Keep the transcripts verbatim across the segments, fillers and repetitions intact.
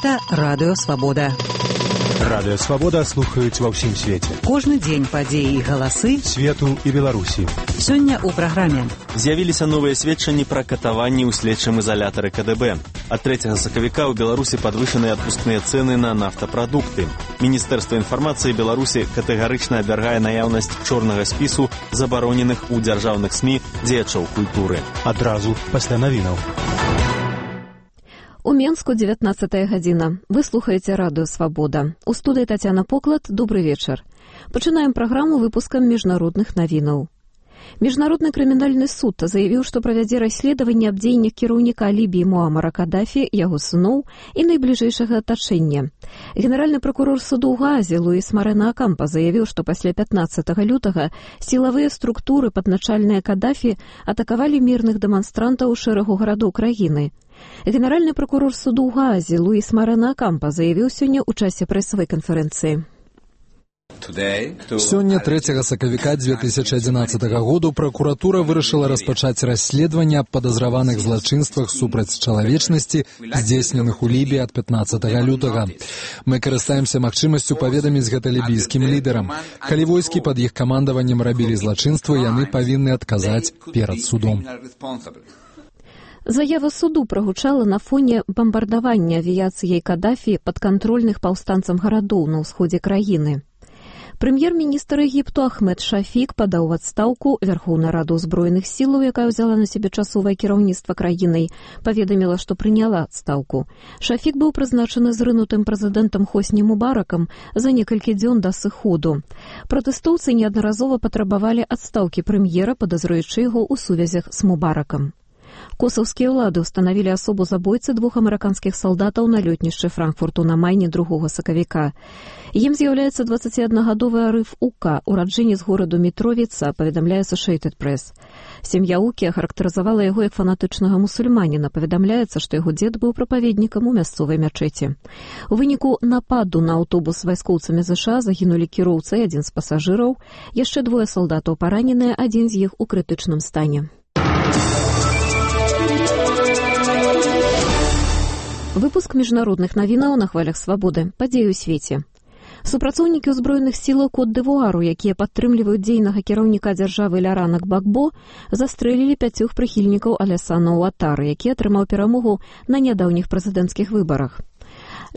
Гэта Радыё Свабода. Радыё Свабода слухаюць ва ўсім свеце. Кожны дзень падзеі і галасы свету і Беларусі. Сёння ў праграме. З'явіліся новыя сведчанні пра катаванні ў следчым ізалятары ка дэ бэ. Ад трэцяга сакавіка ў Беларусі падвышаныя адпускныя цэны на нафтапрадукты. Міністэрства інфармацыі Беларусі катэгарычна абвяргае наяўнасць чорнага спісу забароненых у дзяржаўных СМІ дзеячаў культуры. Адразу пасля навінаў. У Менску дзевятнаццатая гадзіна. Вы слухаеце Радыё Свабода. У студыі Тацяна Поклад. Добры вечар. Пачынаем праграму выпускам міжнародных навінаў. Міжнародны крымінальны суд заявіў, што правядзе расследаванне аб дзеяннях кіраўніка Лібіі Муамара Кадафі, яго сыноў і найбліжэйшага атачэння. Генеральны прокурор суду ў Гаазе Луіс Марена Акампа заявіў, што пасля пятнаццатага лютага сілавыя структуры падначальныя Кадафі атакавалі мірных дэманстрантаў у шэрагу гарадоў краіны. Генеральны прокурор суду ў Гаазе Луіс Марена Акампа заявіў сёння ў часе прэсавай канферэнцыі. Сёння трэцяга сакавіка дзве тысячы адзінаццатага году пракуратура вырашыла распачаць расследаванне аб падазраваных злачынствах супраць чалавечнасці, здзейсненых у Лібіі ад пятнаццатага лютага. Мы карыстаемся магчымасцю паведаміць гэта лібійскім лідарам. Калі войскі пад іх камандаваннем рабілі злачынствы, яны павінны адказаць перад судом. Заява суду прагучала на фоне бамбардавання авіяцыяй Кадафі падкантрольных паўстанцам гарадоў на ўсходзе краіны. Прэм'ер-міністр Егіпту Ахмед Шафік падаў у адстаўку. Вярхоўная рада ўзброеных сілаў, якая ўзяла на сябе часовае кіраўніцтва краінай, паведаміла, што прыняла адстаўку. Шафік быў прызначаны зрынутым прэзідэнтам Хосні Мубаракам за некалькі дзён да сыходу. Пратэстоўцы неаднаразова патрабавалі адстаўкі прэм'ера, падазруючы яго ў сувязях з Мубаракам. Косаўскія ўлады ўстанавілі асобу забойцы двух амерыканскіх салдатаў на лётнішчы Франкфурту на майне другога сакавіка. Ім з'яўляецца дваццаціаднагадовы Арыф Ука, ураджэнец гораду Мітровіца, паведамляе Associated Press. Сям'я Укі ахарактарызавала яго як фанатычнага мусульманіна. Паведамляецца, што яго дзед быў прапаведнікам у мясцовай мячэці. У выніку нападу на аўтобус з вайскоўцамі ЗША загінулі кіроўца і адзін з пасажыраў. Яшчэ двое салдатаў параненыя, адзін з іх у крытычным стане. Выпуск міжнародных навінаў на хвалях свабоды. Падзеі ў свеце. Супрацоўнікі ўзброеных сілаў Кот-д'Івуару, якія падтрымліваюць дзейнага кіраўніка дзяржавы Лярана Гбагбо, застрэлілі пяцёх прыхільнікаў Алясана Уатары, які атрымаў перамогу на нядаўніх прэзідэнцкіх выбарах.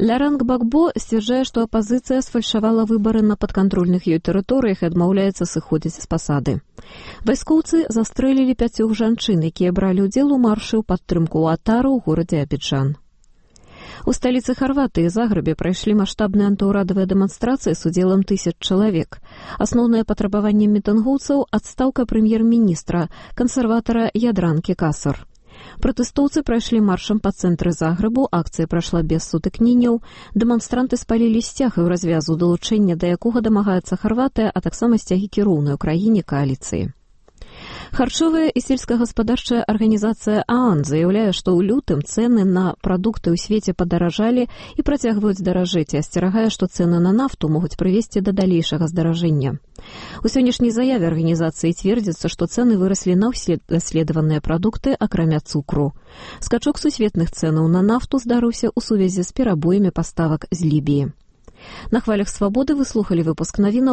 Ляран Гбагбо сцвярджае, што апазіцыя сфальшавала выбары на падкантрольных ёй тэрыторыях і адмаўляецца сыходзіць з пасады. Вайскоўцы застрэлілі пяцёх жанчын, якія бралі ўдзел у маршы ў падтрымку Уатары ў горадзе Абіджан. У сталіцы Харватыі Загрэбе прайшлі маштабныя антыўрадавыя дэманстрацыі з удзелам тысяч чалавек. Асноўнае патрабаванне мітынгоўцаў – адстаўка прэм'ер-міністра, кансерватара Ядранкі Касар. Пратэстоўцы прайшлі маршам па цэнтры Загрэбу, акцыя прайшла без сутыкненняў, дэманстранты спалілі сцяг і ў развязу, далучэння да якога дамагаецца Харватыя, а таксама сцягі кіроўнай у краіне кааліцыі. Харчовая і сельскагаспадарчая арганізацыя ААН заяўляе, што ў лютым цэны на прадукты ў свеце падаражалі і працягваюць даражэць, і асцерагае, што цэны на нафту могуць прывесці да далейшага здаражэння. У сённяшняй заяве арганізацыі цвердзіцца, што цэны выраслі на ўсе даследаваныя прадукты, акрамя цукру. Скачок сусветных цэнаў на нафту здарыўся ў сувязі з перабоямі паставак з Лібіі. На хвалях свабоды вы слухалі выпуск навінаў